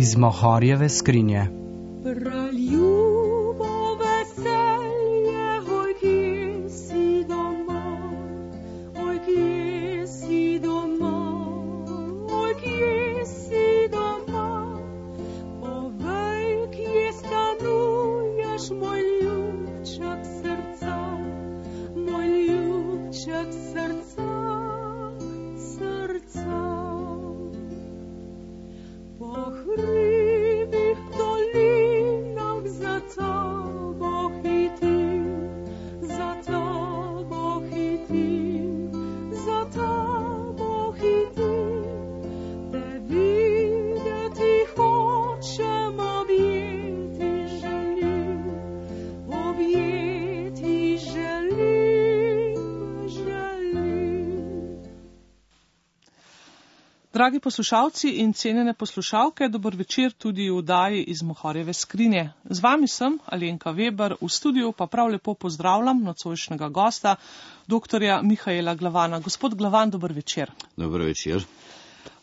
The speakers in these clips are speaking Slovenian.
iz Mohorjeve skrinje. Dragi poslušalci in cenjene poslušalke, dober večer tudi v oddaji iz Mohorjeve skrinje. Z vami sem Alenka Weber, v studiu pa prav lepo pozdravljam nocojšnjega gosta, doktorja Mihaela Glavana. Gospod Glavan, dober večer. Dober večer.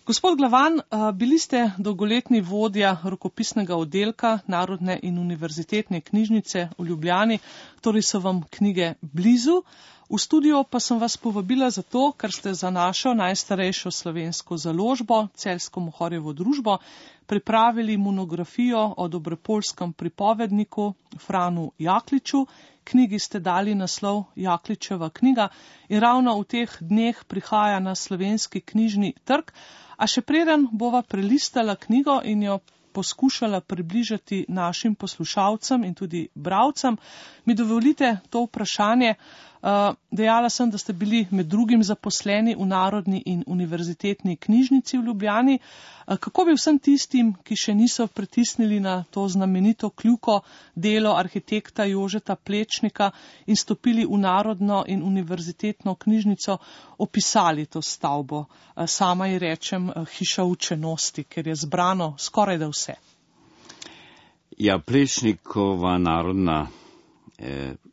Gospod Glavan, bili ste dolgoletni vodja rokopisnega oddelka Narodne in univerzitetne knjižnice v Ljubljani, torej so vam knjige blizu. V studio pa sem vas povabila zato, ker ste za našo najstarejšo slovensko založbo, Celjsko Mohorjevo družbo, pripravili monografijo o dobrepolskem pripovedniku Franu Jakliču. Knjigi ste dali naslov Jakličeva knjiga in ravno v teh dneh prihaja na slovenski knjižni trg. A še preden bova prelistala knjigo in jo poskušala približati našim poslušalcem in tudi bralcem, mi dovolite to vprašanje. Dejala sem, da ste bili med drugim zaposleni v Narodni in univerzitetni knjižnici v Ljubljani. Kako bi vsem tistim, ki še niso pritisnili na to znamenito kljuko delo arhitekta Jožeta Plečnika in stopili v Narodno in univerzitetno knjižnico, opisali to stavbo? Sama ji rečem hiša učenosti, ker je zbrano skoraj da vse. Ja, Plečnikova narodna,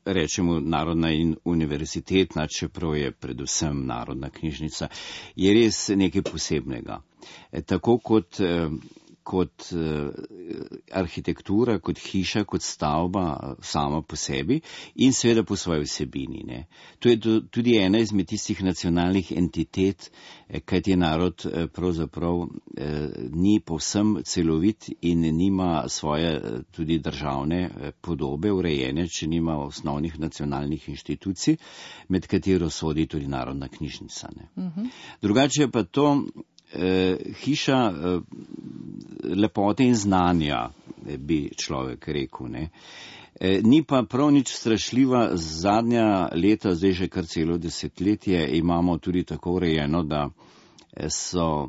rečemo Narodna in univerzitetna, čeprav je predvsem Narodna knjižnica, je res nekaj posebnega. Tako kot arhitektura, kot hiša, kot stavba sama po sebi in seveda po svoji vsebini. Ne. To je tudi ena izmed tistih nacionalnih entitet, kajti narod pravzaprav ni povsem celovit in nima svoje tudi državne podobe urejene, če nima osnovnih nacionalnih inštitucij, med katero sodi tudi Narodna knjižnica. Ne. Drugače pa to hiša lepote in znanja, bi človek rekel. Ne. Ni pa prav nič strašljiva. Zadnja leta, zdaj že kar celo desetletje, imamo tudi tako urejeno, da so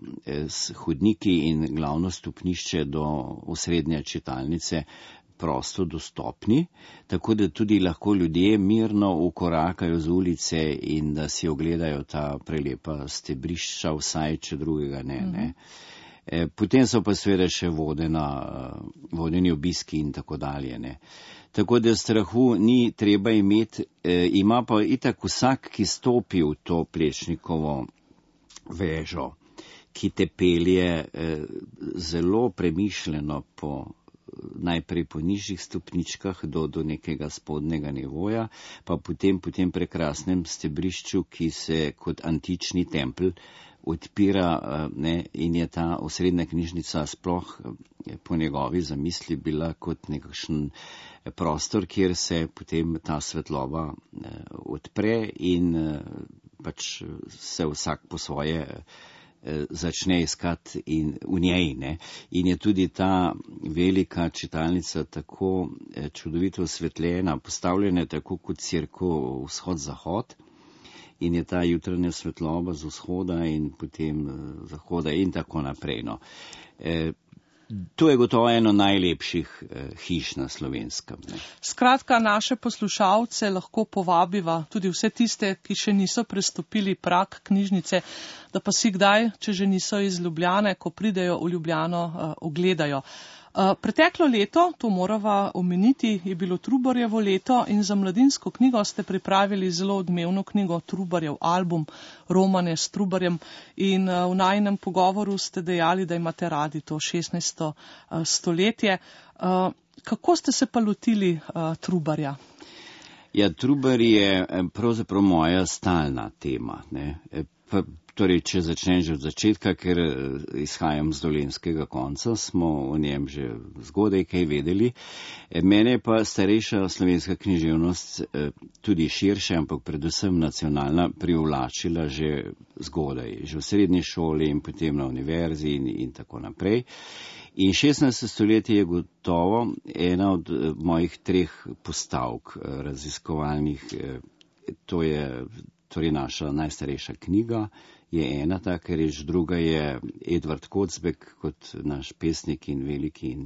hodniki in glavno stopnišče do osrednje čitalnice prosto dostopni, tako da tudi lahko ljudje mirno ukorakajo z ulice in da si ogledajo ta prelepa stebrišča, vsaj če drugega ne. Potem so pa seveda še vodeni obiski in tako dalje. Ne. Tako da strahu ni treba imeti, ima pa itak vsak, ki stopi v to Plečnikovo vežo, ki te pelje zelo premišljeno najprej po nižjih stopničkah do nekega spodnega nivoja, pa potem prekrasnem stebrišču, ki se kot antični tempelj odpira, ne, in je ta osrednja knjižnica sploh po njegovi zamisli bila kot nekakšen prostor, kjer se potem ta svetloba odpre in pač se vsak po svoje začne iskati in v njej. Ne. In je tudi ta velika čitalnica tako čudovito osvetljena, postavljena tako kot cerkev vzhod-zahod, in je ta jutranja svetloba z vzhoda in potem zahoda in tako naprej. No. To je gotovo eno najlepših hiš na Slovenskem. Ne. Skratka, naše poslušalce lahko povabiva, tudi vse tiste, ki še niso prestopili prag knjižnice, da pa si kdaj, če že niso iz Ljubljane, ko pridejo v Ljubljano, ogledajo. Preteklo leto, to morava omeniti, je bilo Trubarjevo leto in za Mladinsko knjigo ste pripravili zelo odmevno knjigo Trubarjev album, romane s Trubarjem, in v najinem pogovoru ste dejali, da imate radi to 16. stoletje. Kako ste se pa lotili Trubarja? Ja, Trubar je pravzaprav moja stalna tema, ne. Torej, če začnem že od začetka, ker izhajam z dolenjskega konca, smo o njem že zgodaj kaj vedeli. Mene pa starejša slovenska književnost, tudi širša, ampak predvsem nacionalna, privlačila že zgodaj, že v srednji šoli in potem na univerzi in tako naprej. In 16. stoletje je gotovo ena od mojih 3 postavk raziskovalnih. To je torej naša najstarejša knjiga, je ena taka reč, druga je Edvard Kocbek kot naš pesnik in veliki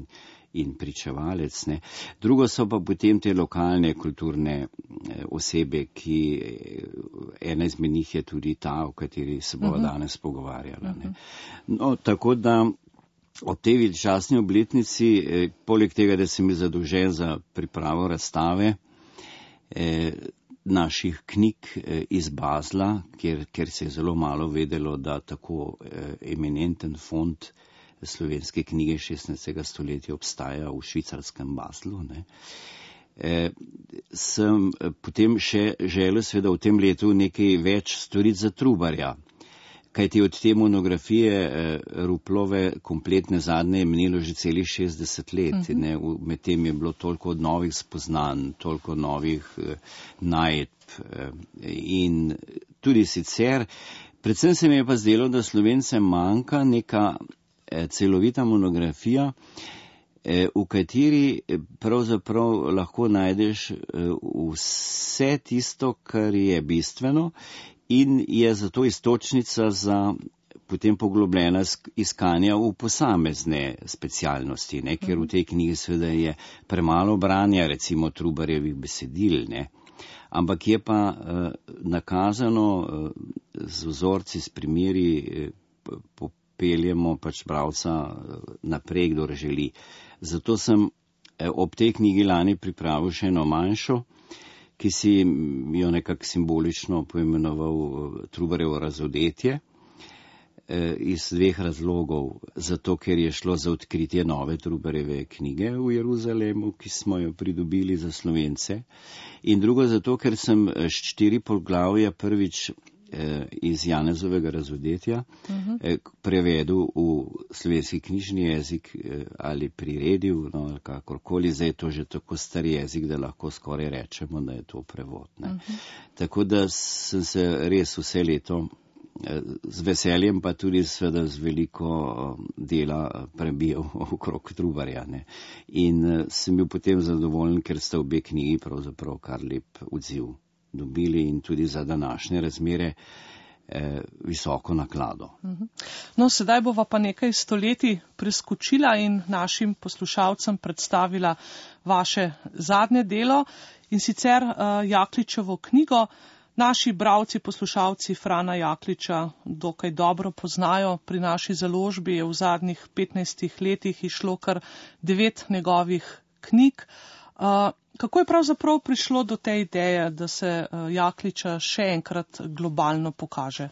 in pričevalec. Ne. Drugo so pa potem te lokalne kulturne osebe, ki ena izmed njih je tudi ta, o kateri se bova danes pogovarjala. Ne. No, tako da ob tej veličastni obletnici, poleg tega, da sem bil zadolžen za pripravo razstave, naših knjig iz Basla, ker se je zelo malo vedelo, da tako eminenten fond slovenske knjige 16. stoletja obstaja v švicarskem Baslu. Ne. Sem potem še želel seveda v tem letu nekaj več storiti za Trubarja, kajti od te monografije Ruplove kompletne zadnje je minilo že celih 60 let. Ne. Med tem je bilo toliko novih spoznanj, toliko novih najdb in tudi sicer. Predvsem se mi je pa zdelo, da Slovencem manjka neka celovita monografija, v kateri pravzaprav lahko najdeš vse tisto, kar je bistveno, in je zato iztočnica za potem poglobljena iskanja v posamezne specialnosti, ne, ker v tej knjigi seveda je premalo branja, recimo Trubarjevih besedil, ne, ampak je pa nakazano z vzorci, s primeri, popeljemo pač bralca naprej, kdor želi. Zato sem ob tej knjigi lani pripravil še eno manjšo, ki si jo nekako simbolično poimenoval Trubarjevo razodetje, iz 2 razlogov. Zato, ker je šlo za odkritje nove Trubarjeve knjige v Jeruzalemu, ki smo jo pridobili za Slovence. In drugo zato, ker sem 4 poglavja prvič iz Janezovega razodetja prevedel v slovenski knjižni jezik ali priredil, no, ali kakorkoli. Zdaj je to že tako star jezik, da lahko skoraj rečemo, da je to prevod. Ne. Tako da sem se res vse leto z veseljem, pa tudi seveda z veliko dela prebijal okrog Trubarja. Ne. In sem bil potem zadovoljen, ker sta obe knjigi pravzaprav kar lep odziv dobili in tudi za današnje razmere visoko naklado. No, sedaj bova pa nekaj stoletij preskočila in našim poslušalcem predstavila vaše zadnje delo, in sicer Jakličevo knjigo. Naši bralci, poslušalci Frana Jakliča dokaj dobro poznajo. Pri naši založbi je v zadnjih 15 letih išlo kar 9 njegovih knjig. Kako je pravzaprav prišlo do te ideje, da se Jakliča še enkrat globalno pokaže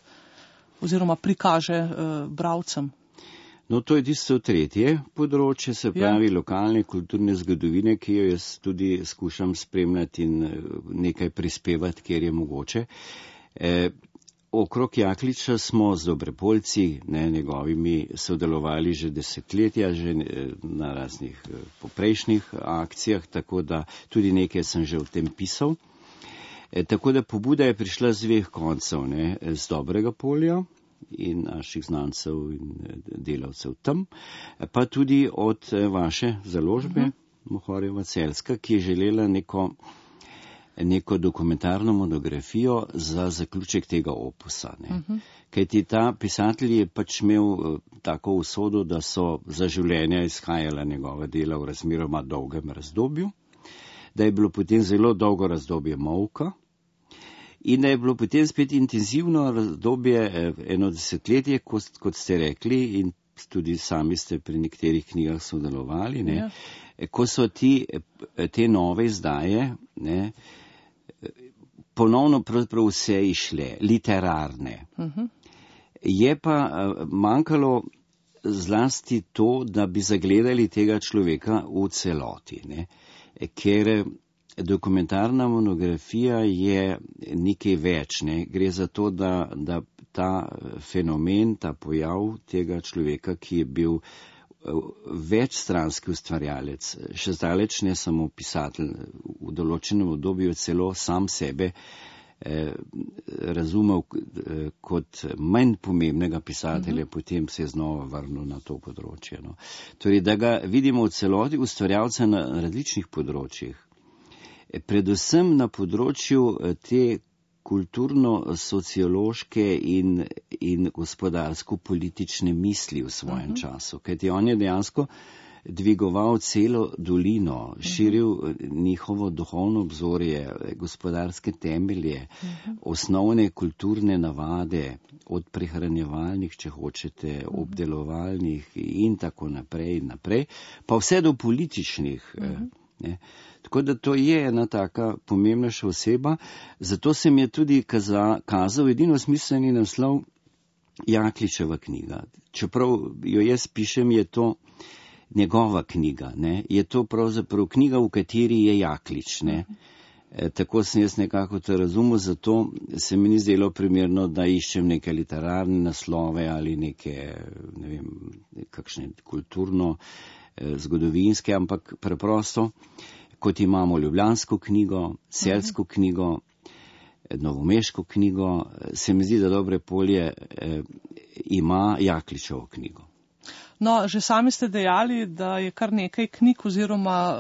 oziroma prikaže bralcem? No, to je tisto 3. področje, se pravi lokalne kulturne zgodovine, ki jo jaz tudi skušam spremljati in nekaj prispevati, kjer je mogoče. Okrog Jakliča smo z Dobropoljci, njegovimi, sodelovali že desetletja, že na raznih poprejšnjih akcijah, tako da tudi nekaj sem že o tem pisal. Tako da pobuda je prišla z 2 koncev, ne, z Dobrega Polja in naših znancev in delavcev tam, pa tudi od vaše založbe, Mohorjeva Celjska, ki je želela neko dokumentarno monografijo za zaključek tega opusa. Kajti ta pisatelj je pač imel tako usodo, da so za življenja izhajala njegova dela v razmeroma dolgem razdobju, da je bilo potem zelo dolgo razdobje molka in da je bilo potem spet intenzivno razdobje, eno desetletje, kot ste rekli, in tudi sami ste pri nekaterih knjigah sodelovali, ne, ko so te nove izdaje, ne, ponovno pravzaprav vse išle, literarne. Je pa manjkalo zlasti to, da bi zagledali tega človeka v celoti, ne, ker dokumentarna monografija je nekaj več, ne, gre za to, da ta fenomen, ta pojav tega človeka, ki je bil večstranski ustvarjalec, še zdaleč ne samo pisatelj, v določenem obdobju celo sam sebe razumel kot manj pomembnega pisatelja, potem se je znova vrnil na to področje. No. Torej, da ga vidimo v celoti ustvarjalca na različnih področjih, predvsem na področju te kulturno-sociološke in gospodarsko-politične misli v svojem času, kajti on je dejansko dvigoval celo dolino, širil njihovo duhovno obzorje, gospodarske temelje, osnovne kulturne navade, od prehranjevalnih, če hočete, obdelovalnih in tako naprej, pa vse do političnih. Ne. Tako da to je ena taka pomembnejša oseba, zato se mi je tudi kazal edino smiselni naslov Jakličeva knjiga. Čeprav jo jaz pišem, je to njegova knjiga, ne? Je to pravzaprav knjiga, v kateri je Jaklič. Ne? Tako sem jaz nekako to razumel, zato se mi ni zdelo primerno, da iščem neke literarne naslove ali neke, ne vem, kakšne kulturno zgodovinske, ampak preprosto, kot imamo ljubljansko knjigo, celjsko knjigo, novomeško knjigo, se mi zdi, da Dobre polje ima Jakličevo knjigo. No, že sami ste dejali, da je kar nekaj knjig oziroma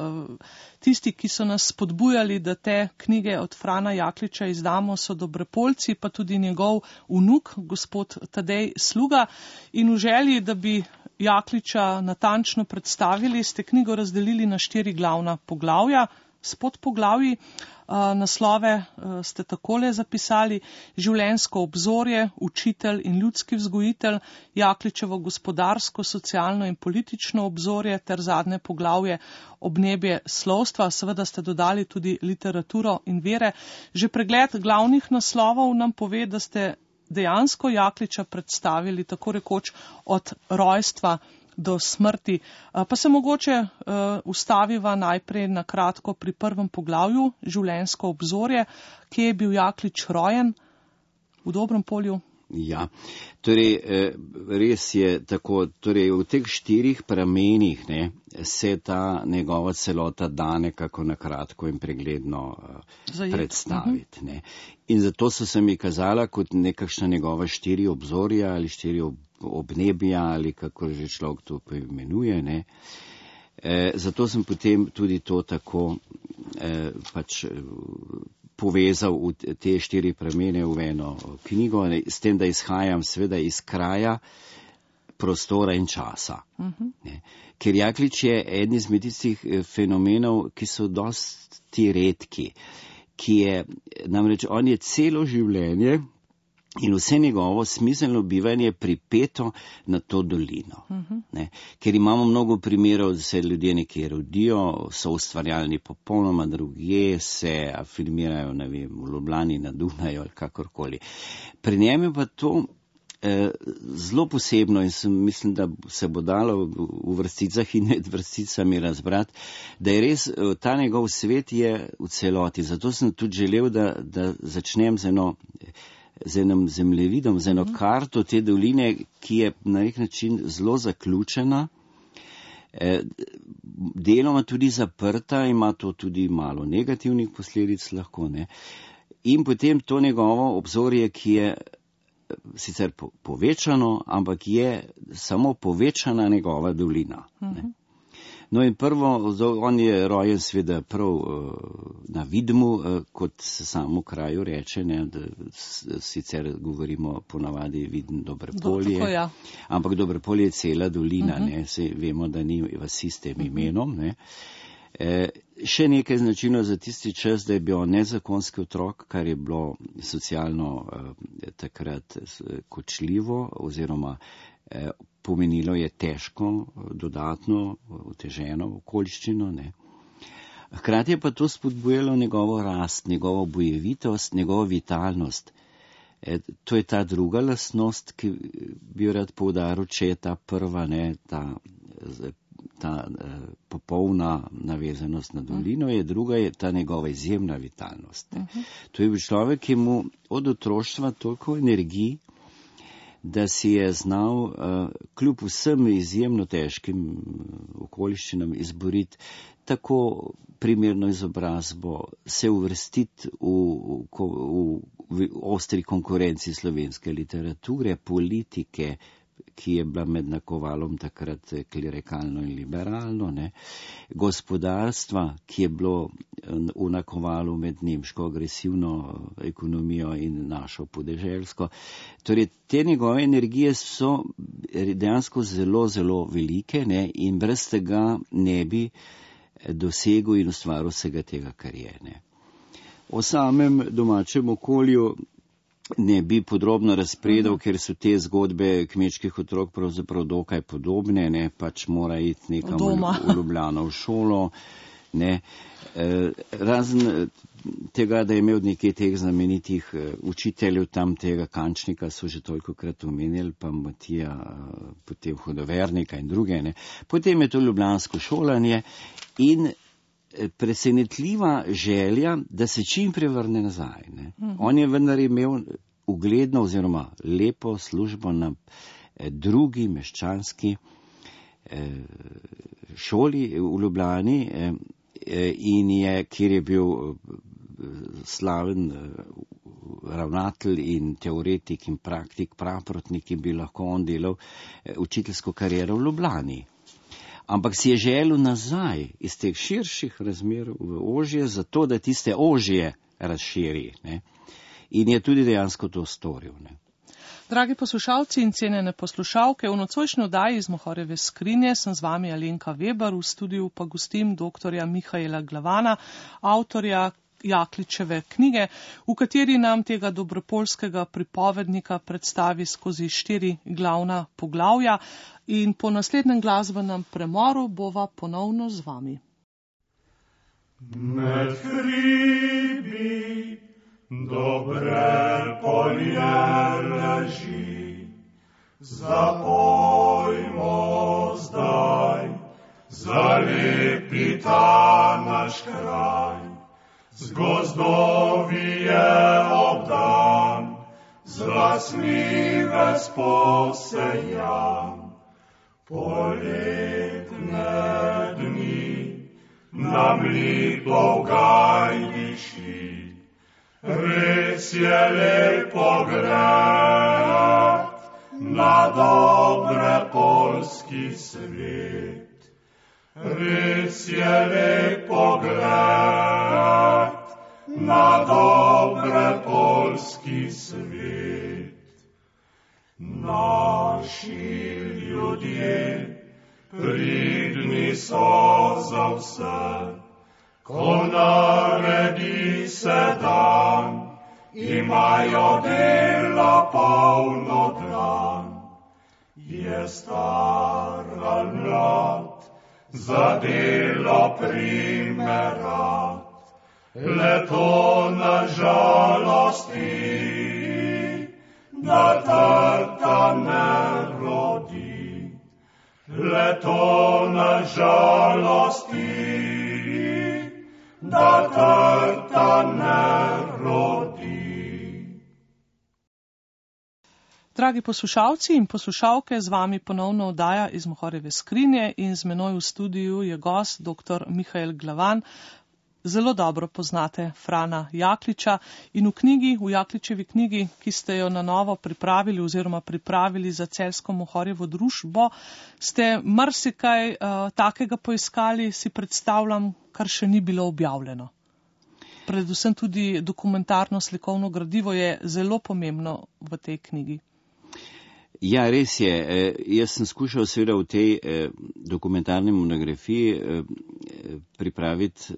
tisti, ki so nas spodbujali, da te knjige od Frana Jakliča izdamo, so Dobropoljci, pa tudi njegov vnuk, gospod Tadej Sluga. In v želji, da bi Jakliča natančno predstavili, ste knjigo razdelili na 4 glavna poglavja s podpoglavji. Naslove ste takole zapisali: Življenjsko obzorje, učitelj in ljudski vzgojitelj, Jakličevo gospodarsko, socialno in politično obzorje ter zadnje poglavje Obnebje slovstva. Seveda ste dodali tudi literaturo in vere. Že pregled glavnih naslovov nam pove, da ste dejansko Jakliča predstavili tako rekoč od rojstva do smrti. Pa se mogoče ustaviva najprej na kratko pri prvem poglavju, Življenjsko obzorje. Kje je bil Jaklič rojen? V Dobrempolju? Ja, torej res je tako, torej v teh 4 pramenih, ne, se ta njegova celota da nekako na kratko in pregledno predstaviti. Ne. In zato so se mi kazala kot nekakšna njegova 4 obzorja ali 4 obnebja ali kako že človek to poimenuje. Ne. Zato sem potem tudi to tako pač povezal v te 4 pramene v eno knjigo, s tem, da izhajam seveda iz kraja, prostora in časa. Ker Jaklič je eden izmed tistih fenomenov, ki so dosti redki, ki je, namreč on je celo življenje in vse njegovo smiselno bivanje pripeto na to dolino. Ne? Ker imamo mnogo primerov, da se ljudje nekje rodijo, so ustvarjalni popolnoma drugje, se afirmirajo, ne vem, v Ljubljani, na Dunaju ali kakorkoli. Pri njem je pa to zelo posebno in mislim, da se bo dalo v vrsticah in med vrsticami razbrati, da je res ta njegov svet je v celoti. Zato sem tudi želel, da začnem z enim zemljevidom, z eno karto te doline, ki je na nek način zelo zaključena, deloma tudi zaprta, ima to tudi malo negativnih posledic lahko, ne. In potem to njegovo obzorje, ki je sicer povečano, ampak je samo povečana njegova dolina. Ne. No in prvo, on je rojen seveda prav na Vidmu, kot se samo kraju reče, ne, da sicer govorimo ponavadi Vidm Dobrepolje, ja. Ampak Dobrepolje je cela dolina, ne, se vemo, da ni vasi s tem imenom. Ne. Še nekaj značilno za tisti čas, da je bil nezakonski otrok, kar je bilo socialno takrat kočljivo oziroma pomenilo je težko, dodatno, oteženo okoliščino, ne. Hkrati je pa to spodbujalo njegovo rast, njegovo bojevitost, njegovo vitalnost. To je ta druga lastnost, ki bi jo rad poudaril, če je ta prva, ne, ta popolna navezanost na dolino, je druga, je ta njegova izjemna vitalnost. To je bil človek, ki mu od otroštva toliko energij, da si je znal kljub vsem izjemno težkim okoliščinam izboriti tako primerno izobrazbo, se uvrstiti v ostri konkurenci slovenske literature, politike, ki je bila med nakovalom takrat klerikalno in liberalno, ne, gospodarstva, ki je bilo v nakovalu med nemško agresivno ekonomijo in našo podeželsko. Torej, te njegove energije so dejansko zelo, zelo velike, ne, in brez tega ne bi dosegel in ustvaril vsega tega, kar je. Ne. O samem domačem okolju ne bi podrobno razpredal, ker so te zgodbe kmečkih otrok pravzaprav dokaj podobne, ne, pač mora iti nekam v Ljubljano v šolo, ne. Razen tega, da je imel nekaj teh znamenitih učiteljev tam, tega Kančnika so že tolikokrat omenjali, pa Matija, potem Hudovernika in druge, ne. Potem je to ljubljansko šolanje in presenetljiva želja, da se čim prevrne nazaj. Ne. On je vendar imel ugledno oziroma lepo službo na drugi meščanski šoli v Ljubljani in kjer je bil slaven ravnatelj in teoretik in praktik, praprotnik in bi lahko on delal učiteljsko kariero v Ljubljani. Ampak si je želel nazaj iz teh širših razmer v ožje, zato da tiste ožje razširi. Ne? In je tudi dejansko to storil. Ne? Dragi poslušalci in cenjene poslušalke, v nocojšnji oddaji iz Mohorjeve skrinje sem z vami Alenka Weber, v studiu pa gostim doktorja Mihaela Glavana, avtorja Jakličeve knjige, v kateri nam tega dobropoljskega pripovednika predstavi skozi 4 glavna poglavja in po naslednjem glasbenem premoru bova ponovno z vami. Med hribi dobre polje leži, zapojmo zdaj, zalepi ta naš kraj. Z gozdovi je obdan, z lasmi ves posejan. Poletne dni nam lipo v gaj diši, res je lepo gled na dobre poljski svet. Res je lepo gled na dobre poljski svet. Naši ljudje pridni so za vse, ko naredi se dan, imajo dela polno dlan. Je star ali mlad, za delo primerat, le to na žalosti, da trta ne rodi. Le to na žalosti, da trta ne rodi. Dragi poslušalci in poslušalke, z vami ponovno oddaja iz Mohorjeve skrinje in z menoj v studiu je gost dr. Mihael Glavan. Zelo dobro poznate Frana Jakliča in v Jakličevi knjigi, ki ste jo na novo pripravili oziroma pripravili za Celjsko Mohorjevo družbo, ste marsikaj takega poiskali, si predstavljam, kar še ni bilo objavljeno. Predvsem tudi dokumentarno slikovno gradivo je zelo pomembno v tej knjigi. Ja, res je. Jaz sem skušal seveda v tej dokumentarni monografiji pripraviti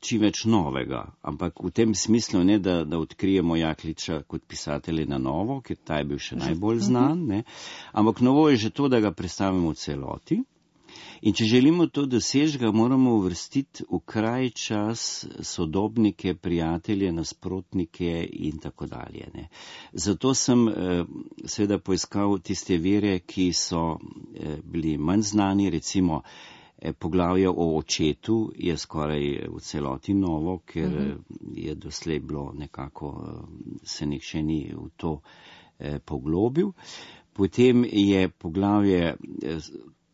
čim več novega, ampak v tem smislu ne, da odkrijemo Jakliča kot pisatelja na novo, ker ta je bil še najbolj znan, ne, ampak novo je že to, da ga predstavimo v celoti. In če želimo to doseči, ga moramo uvrstiti v kraj čas, sodobnike, prijatelje, nasprotnike in tako dalje. Ne. Zato sem seveda poiskal tiste vire, ki so bili manj znani, recimo poglavje o očetu je skoraj v celoti novo, ker je doslej bilo nekako, se nihče ni v to poglobil. Potem je poglavje,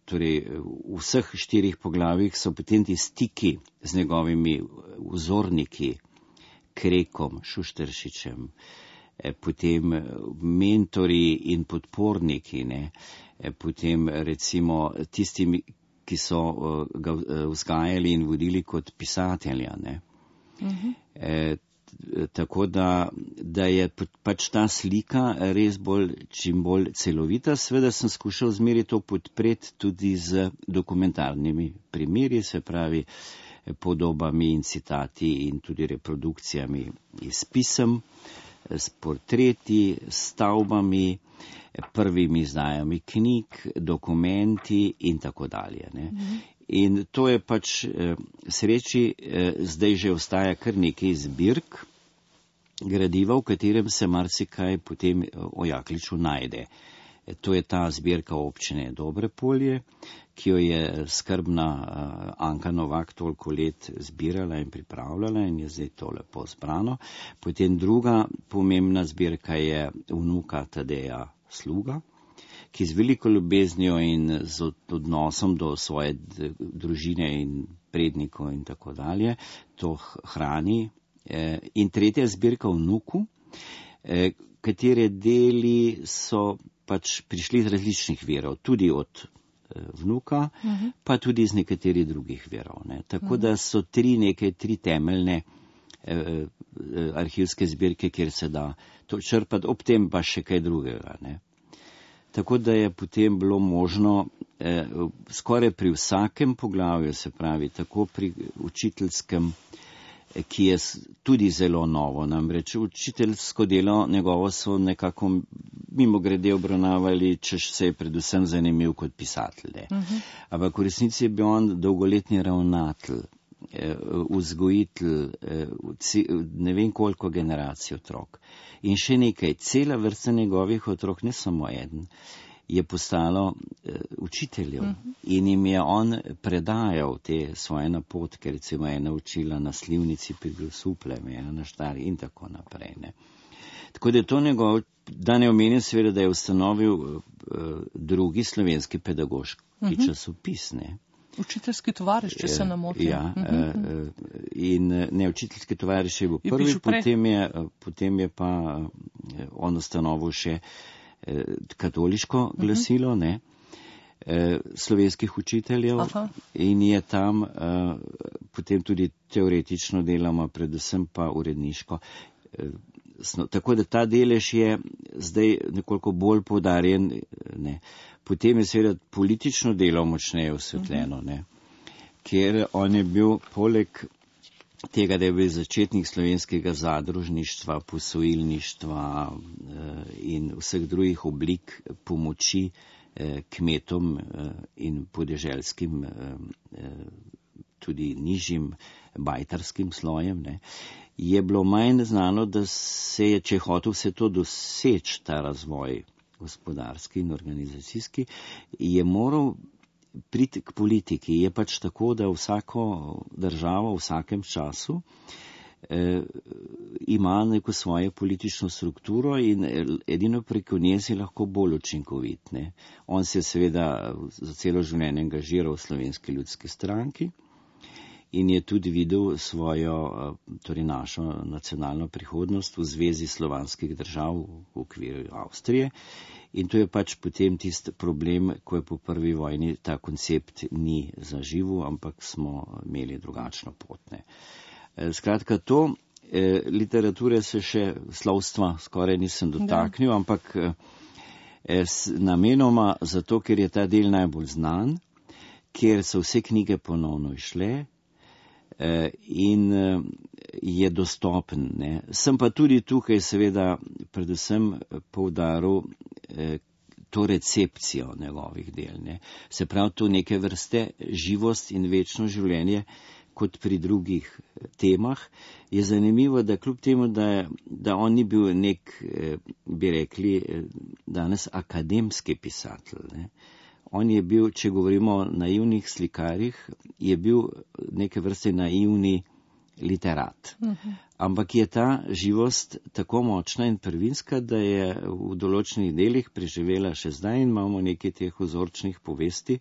torej v vseh 4 poglavjih so potem ti stiki z njegovimi vzorniki, Krekom, Šušteršičem, potem mentori in podporniki, ne, potem recimo tistimi, ki so ga vzgajali in vodili kot pisatelja. Ne. Tako da je pač ta slika res čim bolj celovita. Sveda sem skušal zmeri to podpreti tudi z dokumentarnimi primeri, se pravi podobami in citati in tudi reprodukcijami iz pisem, s portreti, stavbami, prvimi izdajami knjig, dokumenti in tako dalje. Ne. In to je pač sreči, zdaj že ostaja kar nekaj zbirk gradiva, v katerem se marsikaj potem o Jakliču najde. To je ta zbirka občine Dobrepolje, ki jo je skrbna Anka Novak toliko let zbirala in pripravljala in je zdaj to lepo zbrano. Potem druga pomembna zbirka je vnuka Tadeja Sluga, ki z veliko ljubeznijo in z odnosom do svoje družine in prednikov in tako dalje to hrani. In tretja zbirka vnuku, katere deli so pač prišli iz različnih virov, tudi od vnuka, pa tudi iz nekaterih drugih virov. Ne. Tako da so tri temeljne arhivske zbirke, kjer se da to črpati, ob tem pa še kaj drugega. Ne. Tako da je potem bilo možno skoraj pri vsakem poglavju, se pravi tako pri učiteljskem, ki je tudi zelo novo. Namreč učiteljsko delo njegovo so nekako mimogrede obravnavali, češ se je predvsem zanimiv kot pisatelj. Ampak v resnici je bil on dolgoletni ravnatelj, vzgojitelj, ne vem koliko generacij otrok. In še nekaj, cela vrsta njegovih otrok, ne samo eden, je postalo učiteljev in jim je on predajal te svoje napotke, recimo ena učila na Slivnici pri Grosupljem, ena na Štari in tako naprej. Ne. Tako da je to njegov, da ne omenim seveda, da je ustanovil drugi slovenski pedagoški časopis. Ne. Učiteljski tovariš, če se ne motim. Ja, in ne, učiteljski tovariš je bil prvi, potem je pa on ustanovil še katoliško glasilo, ne, slovenskih učiteljev. In je tam potem tudi teoretično deloma, predvsem pa uredniško. Tako da ta delež je zdaj nekoliko bolj poudarjen. Ne. Potem je seveda politično delo močneje osvetljeno, ne, ker on je bil poleg tega, da je bil začetnik slovenskega zadružništva, posojilništva in vseh drugih oblik pomoči kmetom in podeželskim, tudi nižjim bajtarskim slojem, ne, je bilo manj znano, da se je, če je hotel vse to doseči, ta razvoj gospodarski in organizacijski, je moral priti k politiki. Je pač tako, da vsako državo v vsakem času ima neko svojo politično strukturo in edino preko nje si lahko bolj učinkovit. Ne. On se je seveda za celo življenje angažiral v Slovenski ljudski stranki in je tudi videl svojo, torej našo nacionalno prihodnost v zvezi slovanskih držav v okviru Avstrije. In to je pač potem tisti problem, ko je po prvi vojni ta koncept ni zaživel, ampak smo imeli drugačno pot. Ne. Skratka, to literature se še slovstva skoraj nisem dotaknil, ampak namenoma zato, ker je ta del najbolj znan, ker so vse knjige ponovno išle, in je dostopen. Ne. Sem pa tudi tukaj seveda predvsem poudaril to recepcijo njegovih del. Ne. Se pravi, to neke vrste živost in večno življenje, kot pri drugih temah. Je zanimivo, da kljub temu, da on ni bil nek, bi rekli, danes akademski pisatelj. Ne. On je bil, če govorimo o naivnih slikarjih, je bil neke vrste naivni literat. Ampak je ta živost tako močna in prvinska, da je v določenih delih preživela še zdaj in imamo nekaj teh vzorčnih povesti,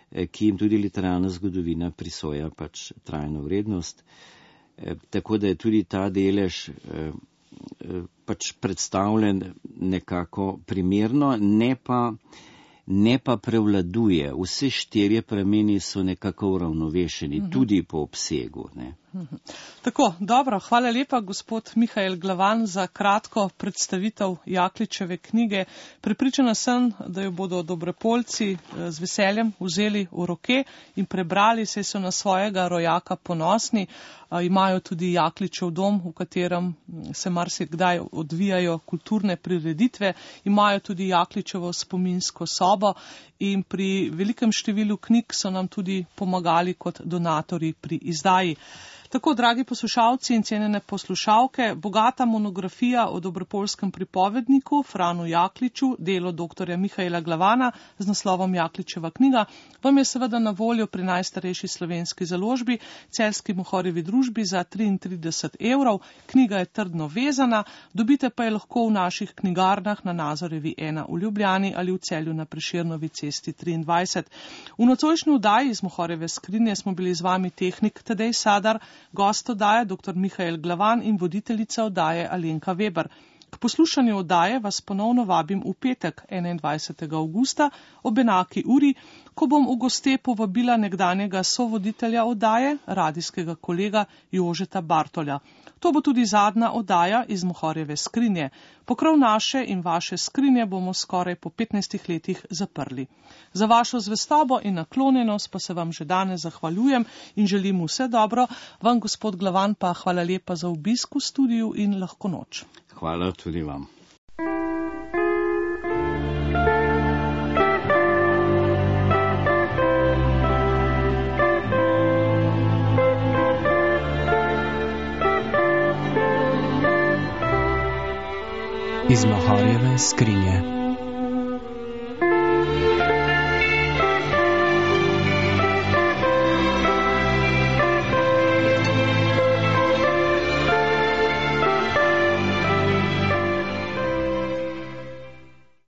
ki jim tudi literarna zgodovina prisoja pač trajno vrednost. Tako da je tudi ta delež pač predstavljen nekako primerno, ne pa prevladuje. Vse 4 prameni so nekako uravnovešeni, tudi po obsegu. Ne. Tako, dobro, hvala lepa, gospod Mihael Glavan, za kratko predstavitev Jakličeve knjige. Prepričana sem, da jo bodo Dobrepolci z veseljem vzeli v roke in prebrali, saj so na svojega rojaka ponosni. Imajo tudi Jakličev dom, v katerem se marsikdaj odvijajo kulturne prireditve, imajo tudi Jakličevo spominsko sobo in pri velikem številu knjig so nam tudi pomagali kot donatorji pri izdaji. Tako, dragi poslušalci in cenjene poslušalke, bogata monografija o dobrepolskem pripovedniku Franu Jakliču, delo dr. Mihaela Glavana z naslovom Jakličeva knjiga, vam je seveda na voljo pri najstarejši slovenski založbi, Celjski Mohorjevi družbi za 33 €. Knjiga je trdno vezana, dobite pa je lahko v naših knjigarnah na Nazorjevi 1 v Ljubljani ali v Celju na Prešernovi cesti 23. V nocojšnji oddaji iz Mohorjeve skrinje smo bili z vami tehnik Tadej Sadar, gost oddaje dr. Mihael Glavan in voditeljica oddaje Alenka Weber. K poslušanju oddaje vas ponovno vabim v petek, 21. avgusta, ob enaki uri, ko bom v goste povabila nekdanjega sovoditelja oddaje, radijskega kolega Jožeta Bartolja. To bo tudi zadnja oddaja iz Mohorjeve skrinje. Pokrov naše in vaše skrinje bomo skoraj po 15 letih zaprli. Za vašo zvestobo in naklonjenost pa se vam že danes zahvaljujem in želim vse dobro. Vam, gospod Glavan, pa hvala lepa za obisk v studiu in lahko noč. Hvala tudi vam. Iz Mohorjeve skrinje.